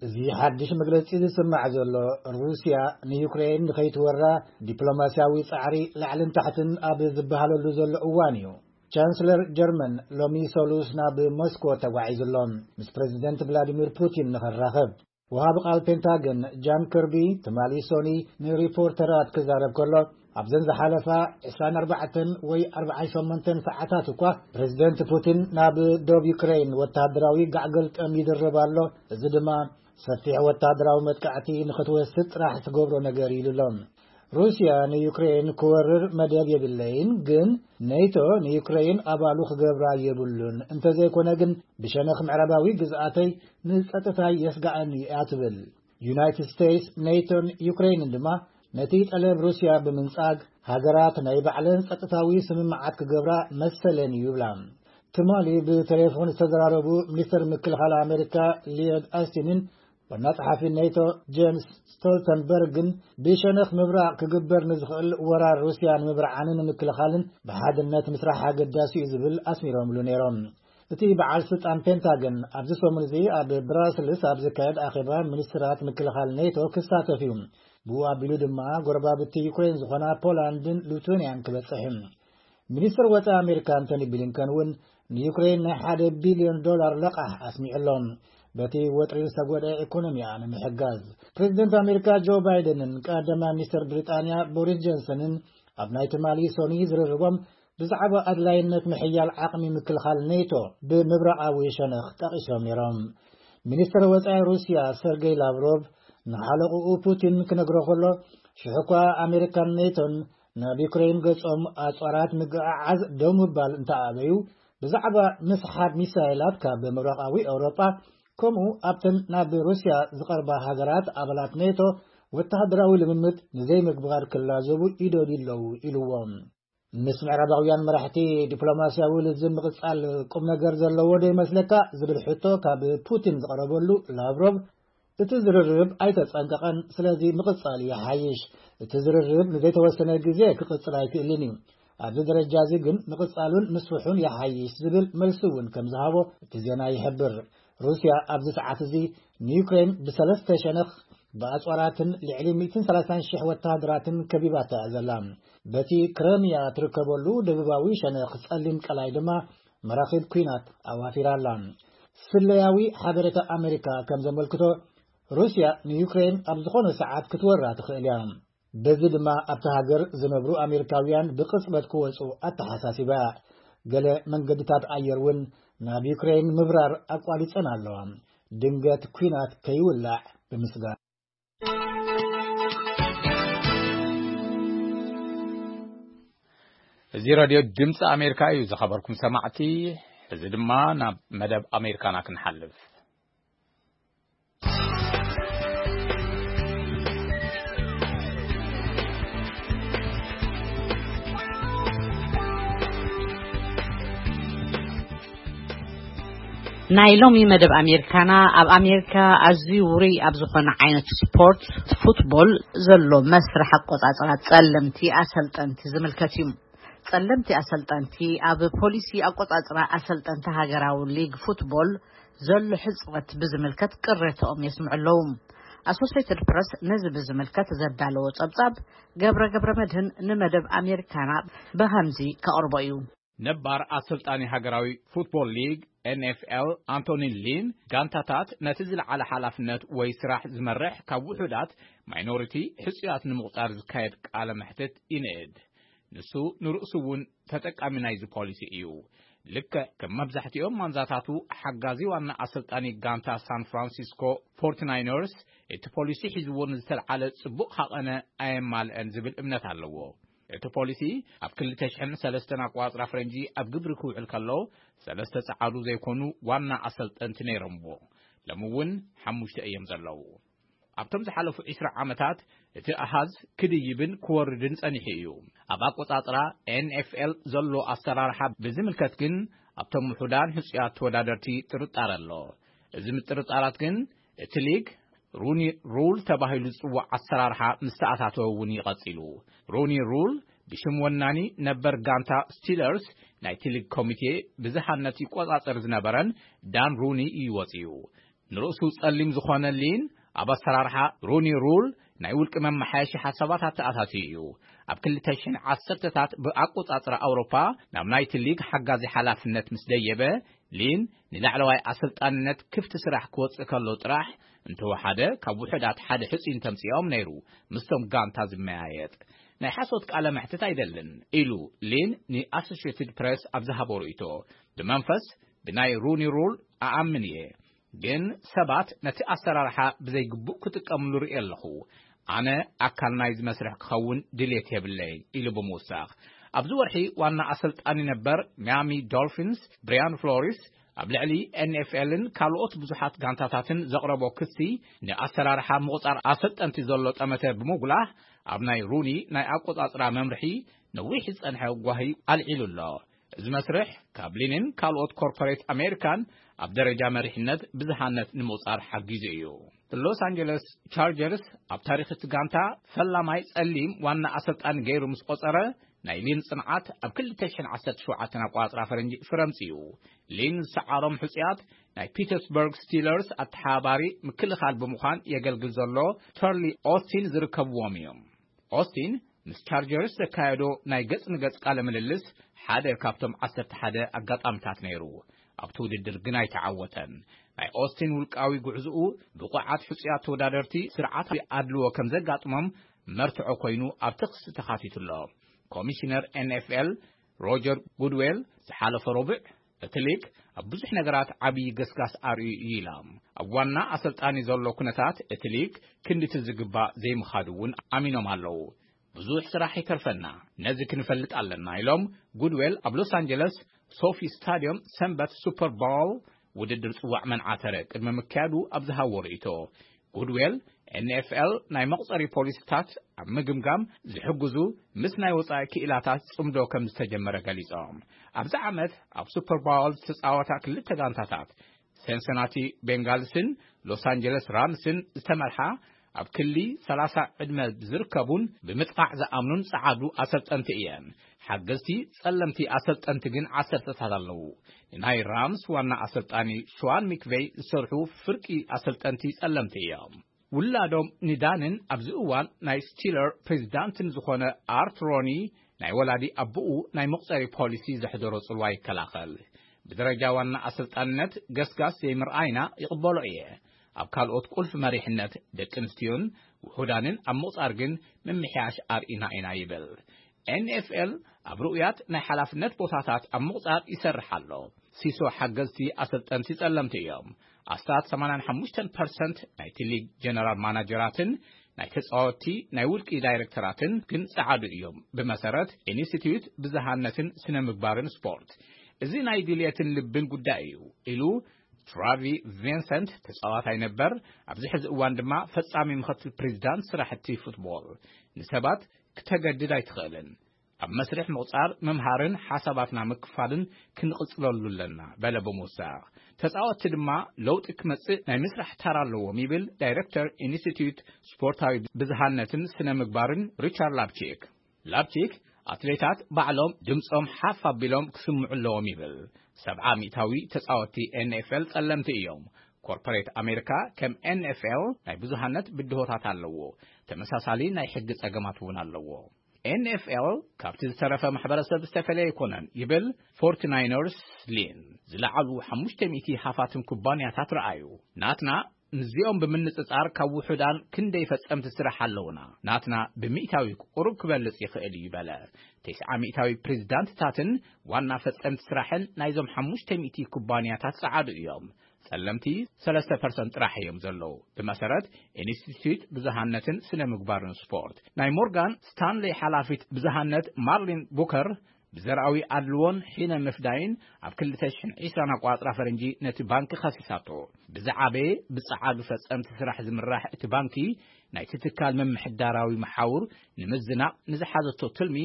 እዚ ሓድሽ መግለጺ ዝስማዕ ዘሎ፣ ሩስያ ንዩክሬን ንኸይትወራ ዲፕሎማስያዊ ጻዕሪ ላዕልን ታሕትን ኣብ ዝበሃለሉ ዘሎ እዋን እዩ። ቻንስለር ጀርመን ሎሚ ሰሉስ ናብ ሞስኮ ተጓዒዙ ኣሎ፣ ምስ ፕረዚደንት ቭላዲሚር ፑቲን ንኽራኸብ። ወሃቢ ቃል ፔንታገን ጃን ክርቢ ትማሊ ሶኒ ንሪፖርተራት ክዛረብ ከሎ፣ ኣብዘን ዝሓለፋ ዕስራን ኣርባዕተን ወይ ኣርባዓን ሸሞንተን ሰዓታት እኳ ፕረዚደንት ፑቲን ናብ ዶብ ዩክሬን ወተሃደራዊ ጋዕገልጠም ይድርብ ኣሎ። እዚ ድማ ሰፊሕ ወተሃደራዊ መጥቃዕቲ ንኽትወስድ ጥራሕ ትገብሮ ነገር ኢሉ ኣሎ። ሩስያ ንዩክሬን ክወርር መደብ የብለይን፣ ግን ኔቶ ንዩክሬን ኣባሉ ክገብራ የብሉን፣ እንተዘይኮነ ግን ብሸነኽ ምዕራባዊ ግዝኣተይ ንጸጥታይ የስግኣኒ እያ ትብል። ዩናይትድ ስቴትስ፣ ኔቶን ዩክሬንን ድማ ነቲ ጠለብ ሩስያ ብምንጻግ፣ ሃገራት ናይ ባዕለን ጸጥታዊ ስምምዓት ክገብራ መሰለን እዩ ይብላ። ትማሊ ብቴሌፎን ዝተዘራረቡ ሚኒስተር ምክልኻል ኣሜሪካ ሊዮድ ኣስቲንን ዋና ጸሓፊ ኔቶ ጄምስ ስቶልተንበርግን፣ ብሸነኽ ምብራቕ ክግበር ንዝኽእል ወራር ሩስያ ንምብርዓንን ንምክልኻልን ብሓድነት ምስራሕ ኣገዳሲ እዩ ዝብል ኣስሚሮምሉ ነይሮም። እቲ በዓል ስልጣን ፔንታገን ኣብዚ ሰሙን እዚ ኣብ ብራስልስ ኣብ ዝካየድ ኣኼባ ሚኒስትራት ምክልኻል ኔቶ ክሳተፍ እዩ። ብኡ ኣቢሉ ድማ ጎረባብቲ ዩክሬን ዝኾና ፖላንድን ሉቱንያን ክበጽሕ እዩ። ሚኒስትር ወጻኢ ኣሜሪካ ኣንቶኒ ብሊንከን እውን ንዩክሬን ናይ ሓደ ቢልዮን ዶላር ለቓሕ ኣስሚዑ ኣሎ። በቲ ወጥሪ ዝተጎድአ ኢኮኖሚያ ንምሕጋዝ፣ ፕሬዚደንት ኣሜሪካ ጆ ባይደንን ቀዳማይ ሚኒስትር ብሪጣንያ ቦሪስ ጆንሰንን ኣብ ናይ ትማሊ ሰኑይ ዝርርቦም ብዛዕባ ኣድላይነት ምሕያል ዓቕሚ ምክልኻል ኔቶ ብምብራቓዊ ሸነኽ ጠቒሶም ነይሮም። ሚኒስትር ወጻኢ ሩስያ ሰርጌይ ላቭሮቭ ንሓለቕኡ ፑቲን ክነግሮ ከሎ፣ ሽሕ እኳ ኣሜሪካን ኔቶን ናብ ዩክሬን ገጾም ኣጽዋራት ምግዕዓዝ ደው ምባል እንተኣበዩ፣ ብዛዕባ ምስሓብ ሚሳይላት ካብ ምብራቓዊ ኤውሮጳ፣ ከምኡ ኣብተን ናብ ሩስያ ዝቐርባ ሃገራት ኣባላት ኔቶ ወተሃደራዊ ልምምድ ንዘይምግባር ክላዘቡ ይደልዩ ኣለዉ ኢልዎም። ምስ ምዕራባውያን መራሕቲ ዲፕሎማስያዊ ልዝብ ምቕጻል ቁም ነገር ዘለዎ ዶ ይመስለካ ዝብል ሕቶ ካብ ፑቲን ዝቐረበሉ ላቭሮቭ፣ እቲ ዝርርብ ኣይተጸንቀቐን፣ ስለዚ ምቕጻል ይሓይሽ። እቲ ዝርርብ ንዘይተወሰነ ግዜ ክቕጽል ኣይክእልን እዩ። ኣብዚ ደረጃ እዚ ግን ምቕጻሉን ምስፍሑን ይሓይሽ ዝብል መልሲ እውን ከም ዝሃቦ እቲ ዜና ይሕብር። ሩስያ ኣብዚ ሰዓት እዚ ንዩክሬን ብሰለስተ ሸነኽ ብኣጽዋራትን ልዕሊ ሚእትን ሰላሳን ሽሕ ወተሃደራትን ከቢባታ እያ ዘላ። በቲ ክረምያ ትርከበሉ ደቡባዊ ሸነኽ ጸሊም ቀላይ ድማ መራኺብ ኲናት ኣዋፊራ ኣላ። ስለያዊ ሓበሬታ ኣሜሪካ ከም ዘመልክቶ፣ ሩስያ ንዩክሬን ኣብ ዝኾነ ሰዓት ክትወራ ትኽእል እያ። በዚ ድማ ኣብቲ ሃገር ዝነብሩ ኣሜሪካውያን ብቕጽበት ክወጹ ኣተሓሳሲባ። ገለ መንገድታት ኣየር እውን ናብ ዩክሬን ምብራር ኣቋሪጸን ኣለዋ። ድንገት ኲናት ከይውላዕ ብምስጋር። እዚ ሬድዮ ድምፂ ኣሜሪካ እዩ። ዝኸበርኩም ሰማዕቲ፣ እዚ ድማ ናብ መደብ ኣሜሪካና ክንሓልፍ። ናይ ሎሚ መደብ ኣሜሪካና፣ ኣብ ኣሜሪካ ኣዝዩ ውሩይ ኣብ ዝኾነ ዓይነት ስፖርት፣ ፉትቦል፣ ዘሎ መስርሕ ኣቆጻጽራ ጸለምቲ ኣሰልጠንቲ ዝምልከት እዩ። ጸለምቲ ኣሰልጠንቲ ኣብ ፖሊሲ ኣቆጻጽራ ኣሰልጠንቲ ሃገራዊ ሊግ ፉትቦል ዘሎ ሕጽረት ብዝምልከት ቅሬታኦም የስምዑ ኣለዉ። ኣሶሴትድ ፕረስ ነዚ ብዝምልከት ዘዳለዎ ጸብጻብ፣ ገብረ ገብረ መድህን ንመደብ ኣሜሪካና ብኸምዚ ከቕርቦ እዩ። ነባር ኣሰልጣኒ ሃገራዊ ፉትቦል ሊግ፣ ኤን ኤፍ ኤል፣ ኣንቶኒ ሊን፣ ጋንታታት ነቲ ዝለዓለ ሓላፍነት ወይ ስራሕ ዝመርሕ ካብ ውሑዳት፣ ማይኖሪቲ፣ ሕጹያት ንምቑጻር ዝካየድ ቃለ መሕትት ይንእድ። ንሱ ንርእሱ እውን ተጠቃሚ ናይዚ ፖሊሲ እዩ። ልክዕ ከም መብዛሕትኦም ማንዛታቱ፣ ሓጋዚ ዋና ኣሰልጣኒ ጋንታ ሳን ፍራንሲስኮ ፎርቲናይነርስ፣ እቲ ፖሊሲ ሒዝዎ ንዝተልዓለ ጽቡቕ ሃቐነ ኣየማልአን ዝብል እምነት ኣለዎ። እቲ ፖሊሲ ኣብ ክልተ ሽሕን ሰለስተን ኣቆጻጽራ ፈረንጂ ኣብ ግብሪ ክውዕል ከሎ፣ ሰለስተ ጸዓዱ ዘይኮኑ ዋና ኣሰልጠንቲ ነይሮምዎ። ሎሚ እውን ሓሙሽተ እዮም ዘለዉ። ኣብቶም ዝሓለፉ ዕስራ ዓመታት እቲ ኣሃዝ ክድይብን ክወርድን ጸኒሑ እዩ። ኣብ ኣቆጻጽራ ኤን ኤፍ ኤል ዘሎ ኣሰራርሓ ብዝምልከት ግን፣ ኣብቶም ውሑዳን ህጹያት ተወዳደርቲ ጥርጣረ ኣሎ። እዚ ምጥርጣራት ግን፣ እቲ ሊግ ሩኒ ሩል ተባሂሉ ዝጽዋዕ ኣሰራርሓ ምስ ተኣታተወ እውን እዩ ቀጺሉ። ሩኒ ሩል ብሽም ወናኒ ነበር ጋንታ ስቲለርስ ናይቲ ሊግ ኮሚቴ ብዝሃነት ይቆጻጸር ዝነበረን ዳን ሩኒ እዩ ወጺኡ። ንርእሱ ጸሊም ዝኾነ ሊን፣ ኣብ ኣሰራርሓ ሩኒ ሩል ናይ ውልቂ መመሓየሺ ሓሳባት ኣተኣታትዩ እዩ። ኣብ ክልተ ሽሕን ዓሰርተታት ብኣቆጻጽራ ኣውሮፓ ናብ ናይቲ ሊግ ሓጋዚ ሓላፍነት ምስ ደየበ፣ ሊን ንላዕለዋይ ኣሰልጣንነት ክፍቲ ስራሕ ክወጽእ ከሎ ጥራሕ፣ እንተወሓደ ካብ ውሑዳት ሓደ ሕጹይ እንተምጽኦም ነይሩ ምስቶም ጋንታ ዝመያየጥ። ናይ ሓሶት ቃለ መሕትት ኣይደልን ኢሉ ሊን ንኣሶሽየትድ ፕሬስ ኣብ ዝሃቦ ርእይቶ። ብመንፈስ ብናይ ሩኒ ሩል ኣኣምን እየ፣ ግን ሰባት ነቲ ኣሰራርሓ ብዘይግቡእ ክጥቀምሉ ርእየ ኣለኹ። ኣነ ኣካል ናይዚ መስርሕ ክኸውን ድልየት የብለይን ኢሉ ብምውሳኽ፣ ኣብዚ ወርሒ ዋና ኣሰልጣኒ ነበር ሚያሚ ዶልፊንስ ብሪያን ፍሎሪስ ኣብ ልዕሊ ኤን ኤፍ ኤልን ካልኦት ብዙሓት ጋንታታትን ዘቕረቦ ክሲ፣ ንኣሰራርሓ ምቑጻር ኣሰልጠንቲ ዘሎ ጠመተ ብምጉላህ፣ ኣብ ናይ ሩኒ ናይ ኣቆጻጽራ መምርሒ ነዊሕ ዝጸንሐ ጓሂ ኣልዒሉ ኣሎ። እዚ መስርሕ ካብ ሊንን ካልኦት ኮርፖሬት ኣሜሪካን ኣብ ደረጃ መሪሕነት ብዝሃነት ንምቑጻር ሓጊዙ እዩ። ሎስ ኣንጀለስ ቻርጀርስ ኣብ ታሪኽ እቲ ጋንታ ፈላማይ ጸሊም ዋና ኣሰልጣኒ ገይሩ ምስ ቆጸረ፣ ናይ ሊን ጽንዓት ኣብ ክልተ ሽሕን ዓሰርተ ሸውዓተን ኣቆጻጽራ ፈረንጂ ፍረ ኣምጺኡ። ሊን ዝሰዓሮም ሕጹያት ናይ ፒተርስበርግ ስቲለርስ ኣተሓባባሪ ምክልኻል ብምዃን የገልግል ዘሎ ተርሊ ኦስቲን ዝርከብዎም እዮም። ኦስቲን ምስ ቻርጀርስ ዘካየዶ ናይ ገጽ ንገጽ ቃለ ምልልስ ሓደ ካብቶም ዓሰርተ ሓደ ኣጋጣሚታት ነይሩ። ኣብቲ ውድድር ግን ኣይተዓወተን። ናይ ኦስቲን ውልቃዊ ጉዕዝኡ ብቑዓት ሕጹያት ተወዳደርቲ ስርዓታዊ ኣድልዎ ከም ዘጋጥሞም መርትዖ ኮይኑ ኣብቲ ክሲ ተኻቲቱ ኣሎ። ኮሚሽነር ኤን ኤፍ ኤል ሮጀር ጉድዌል ዝሓለፈ ረቡዕ እቲ ሊግ ኣብ ብዙሕ ነገራት ዓብዪ ገስጋስ ኣርእዩ እዩ ኢላ። ኣብ ዋና ኣሰልጣኒ ዘሎ ኩነታት እቲ ሊግ ክንድቲ ዝግባእ ዘይምኻዱ እውን ኣሚኖም ኣለዉ። ብዙሕ ስራሕ ይተርፈና፣ ነዚ ክንፈልጥ ኣለና ኢሎም ጉድዌል ኣብ ሎስ ኣንጀለስ ሶፊ ስታዲየም ሰንበት ሱፐር ባል ውድድር ጽዋዕ መንዓተረ ቅድሚ ምክያዱ ኣብ ዝሃቦ ርእይቶ ጉድዌል ኤን ኤፍ ኤል ናይ መቑጸሪ ፖሊሲታት ኣብ ምግምጋም ዝሕግዙ ምስ ናይ ወጻኢ ክኢላታት ጽምዶ ከም ዝተጀመረ ገሊጾም። ኣብዚ ዓመት ኣብ ሱፐር ባል ዝተጻወታ ክልተ ጋንታታት ሴንሰናቲ ቤንጋልስን ሎስ ኣንጀለስ ራምስን ዝተመርሓ ኣብ ክሊ ሰላሳ ዕድመ ዝርከቡን ብምጥቓዕ ዝኣምኑን ጸዓዱ ኣሰልጠንቲ እየን። ሓገዝቲ ጸለምቲ ኣሰልጠንቲ ግን ዓሰርተታት ኣለዉ። ንናይ ራምስ ዋና ኣሰልጣኒ ሽዋን ሚክቬይ ዝሰርሑ ፍርቂ ኣሰልጠንቲ ጸለምቲ እዮም። ውላዶም ንዳንን ኣብዚ እዋን ናይ ስቲለር ፕሬዚዳንትን ዝኾነ ኣርት ሮኒ ናይ ወላዲ ኣቦኡ ናይ መቑጸሪ ፖሊሲ ዘሕደሮ ጽልዋ ይከላኸል። ብደረጃ ዋና ኣሰልጣንነት ገስጋስ ዘይምርኣይና ይቕበሎ እየ። ኣብ ካልኦት ቁልፊ መሪሕነት ደቂ ኣንስትዮን ውሑዳንን ኣብ ምቑጻር ግን ምምሕያሽ ኣርኢና ኢና ይብል። ኤን ኤፍ ኤል ኣብ ርኡያት ናይ ሓላፍነት ቦታታት ኣብ ምቑጻር ይሰርሕ ኣሎ። ሲሶ ሓገዝቲ ኣሰልጠንቲ ጸለምቲ እዮም። ኣስታት ሰማንያን ሓሙሽተን ፐርሰንት ናይቲ ሊግ ጀነራል ማናጀራትን ናይ ተጻወትቲ ናይ ውልቂ ዳይሬክተራትን ግን ጸዓዱ እዮም። ብመሰረት ኢንስቲትዩት ብዝሃነትን ስነ ምግባርን ስፖርት፣ እዚ ናይ ድልየትን ልብን ጉዳይ እዩ ኢሉ ትራቪ ቪንሰንት ተጻዋታይ ነበር፣ ኣብዚ ሕዚ እዋን ድማ ፈጻሚ ምኽትል ፕሬዚዳንት ስራሕቲ ፉትቦል። ንሰባት ክተገድድ ኣይትኽእልን። ኣብ መስርሕ ምቑጻር ምምሃርን ሓሳባትና ምክፋልን ክንቕጽለሉ ኣለና በለ ብምውሳኽ። ተጻወትቲ ድማ ለውጢ ክመጽእ ናይ ምስራሕ ተራ ኣለዎም ይብል ዳይሬክተር ኢንስቲትዩት ስፖርታዊ ብዝሃነትን ስነ ምግባርን ሪቻርድ ላፕቺክ። ላፕቺክ ኣትሌታት ባዕሎም ድምጾም ሓፍ ኣቢሎም ክስምዑ ኣለዎም ይብል። ሰብዓ ሚእታዊ ተጻወትቲ ኤን ኤፍ ኤል ጸለምቲ እዮም። ኮርፖሬት ኣሜሪካ ከም ኤን ኤፍ ኤል ናይ ብዙሃነት ብድሆታት ኣለዎ። ተመሳሳሊ ናይ ሕጊ ጸገማት እውን ኣለዎ። ኤን ኤፍ ኤል ካብቲ ዝተረፈ ማሕበረሰብ ዝተፈለየ ኣይኮነን ይብል ፎርቲ ናይነርስ ሊን። ዝለዓሉ ሓሙሽተ ሚእቲ ሃፋትም ኩባንያታት ረኣዩ። ናትና ምስዚኦም ብምንጽጻር ካብ ውሑዳን ክንደይ ፈጸምቲ ስራሕ ኣለውና። ናትና ብሚእታዊ ቁሩብ ክበልጽ ይኽእል እዩ በለ። ተስዓ ሚእታዊ ፕሬዚዳንትታትን ዋና ፈጸምቲ ስራሕን ናይዞም ሓሙሽተ ሚእቲ ኩባንያታት ጸዓዱ እዮም። ጸለምቲ ሰለስተ ፐርሰንት ጥራሕ እዮም ዘለዉ። ብመሰረት ኢንስቲትዩት ብዙሃነትን ስነ ምግባርን ስፖርት፣ ናይ ሞርጋን ስታንሌ ሓላፊት ብዙሃነት ማርሊን ቡከር ብዘርኣዊ ኣድልዎን ሒነ ምፍዳይን ኣብ ክልተ ሽሕን ዕስራን ኣቋጽራ ፈረንጂ ነቲ ባንኪ ከሲሳቶ። ብዝዓበየ ብጸዓዱ ፈጸምቲ ስራሕ ዝምራሕ እቲ ባንኪ ናይቲ ትካል ምምሕዳራዊ መሓውር ንምዝናቕ ንዝሓዘቶ ትልሚ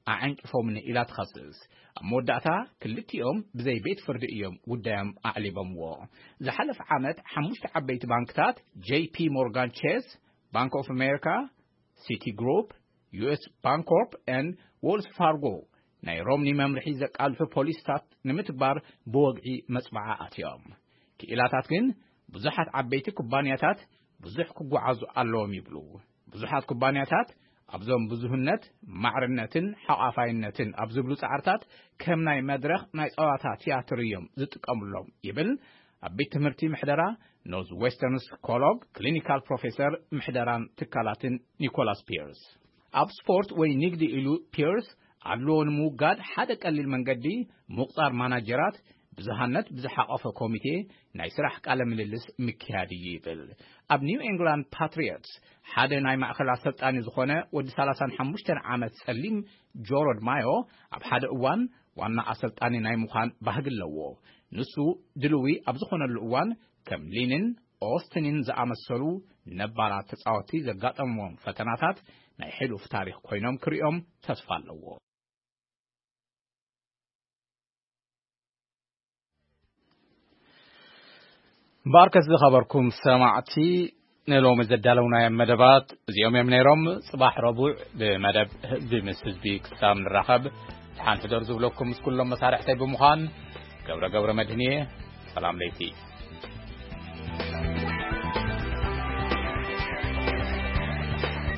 ኣዐንቂፎምኒ ኢላ ትኸስስ። ኣብ መወዳእታ ክልቲኦም ብዘይ ቤት ፍርዲ እዮም ጉዳዮም ኣዕሊቦምዎ። ዝሓለፈ ዓመት ሓሙሽተ ዓበይቲ ባንክታት ጄ ፒ ሞርጋን ቼስ፣ ባንክ ኦፍ ኣሜሪካ፣ ሲቲ ግሩፕ፣ ዩ ኤስ ባንኮርፕ ኤን ዎልስ ፋርጎ ናይ ሮምኒ መምርሒ ዘቃልሑ ፖሊሲታት ንምትግባር ብወግዒ መጽባዓ ኣትዮም። ክኢላታት ግን ብዙሓት ዓበይቲ ኩባንያታት ብዙሕ ክጓዓዙ ኣለዎም ይብሉ። ብዙሓት ኩባንያታት ኣብዞም ብዙህነት፣ ማዕርነትን ሓቋፋይነትን ኣብ ዝብሉ ጻዕርታት ከም ናይ መድረኽ ናይ ጸዋታ ትያትር እዮም ዝጥቀምሎም ይብል ኣብ ቤት ትምህርቲ ምሕደራ ኖርዝ ዌስተርን ስኮሎግ ክሊኒካል ፕሮፌሰር ምሕደራን ትካላትን ኒኮላስ ፒርስ። ኣብ ስፖርት ወይ ንግዲ ኢሉ ፒርስ ኣድልዎ ንምውጋድ ሓደ ቀሊል መንገዲ ምቑጻር ማናጀራት ብዙሃነት ብዝሓቐፈ ኮሚቴ ናይ ስራሕ ቃለ ምልልስ ምክያድ እዩ ይብል። ኣብ ኒው ኤንግላንድ ፓትሪዮትስ ሓደ ናይ ማእከል ኣሰልጣኒ ዝኾነ ወዲ ሰላሳን ሓሙሽተን ዓመት ጸሊም ጆሮድ ማዮ ኣብ ሓደ እዋን ዋና ኣሰልጣኒ ናይ ምዃን ባህጊ ኣለዎ። ንሱ ድልዊ ኣብ ዝኾነሉ እዋን ከም ሊንን ኦስትንን ዝኣመሰሉ ነባራት ተጻወትቲ ዘጋጠምዎም ፈተናታት ናይ ሕሉፍ ታሪኽ ኮይኖም ክርእዮም ተስፋ ኣለዎ። ባርከት ዝኸበርኩም ሰማዕቲ፣ ንሎሚ ዘዳለውናዮም መደባት እዚኦም እዮም ነይሮም። ጽባሕ ረቡዕ ብመደብ ህዝቢ ምስ ህዝቢ ክሳብ ንራኸብ፣ ሓንቲ ደር ዝብለኩም ምስ ኩሎም መሳርሕተይ ብምዃን፣ ገብረ ገብረ መድህን እየ። ሰላም ለይቲ።